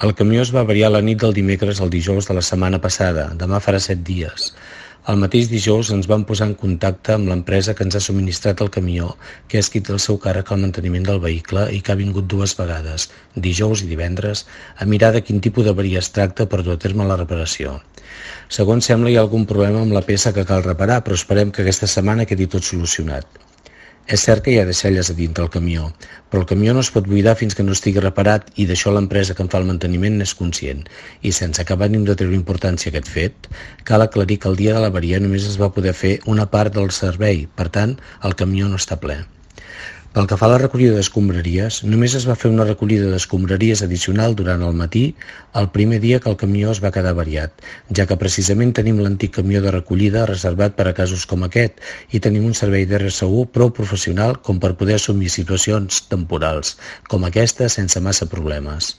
El camió es va avariar la nit del dimecres al dijous de la setmana passada, demà farà 7 dies. El mateix dijous ens vam posar en contacte amb l'empresa que ens ha subministrat el camió, que ha escrit el seu càrrec al manteniment del vehicle i que ha vingut 2 vegades, dijous i divendres, a mirar de quin tipus d'avaria es tracta per dur a terme la reparació. Segons sembla hi ha algun problema amb la peça que cal reparar, però esperem que aquesta setmana quedi tot solucionat. És cert que hi ha deixalles a dintre el camió, però el camió no es pot buidar fins que no estigui reparat i d'això l'empresa que en fa el manteniment n'és conscient. I sense acabar ni de treure importància a aquest fet, cal aclarir que el dia de l'avaria només es va poder fer una part del servei, per tant, el camió no està ple. Pel que fa a la recollida d'escombraries, només es va fer una recollida d'escombraries addicional durant el matí, el primer dia que el camió es va quedar avariat, ja que precisament tenim l'antic camió de recollida reservat per a casos com aquest i tenim un servei d'RSU prou professional com per poder assumir situacions temporals com aquesta sense massa problemes.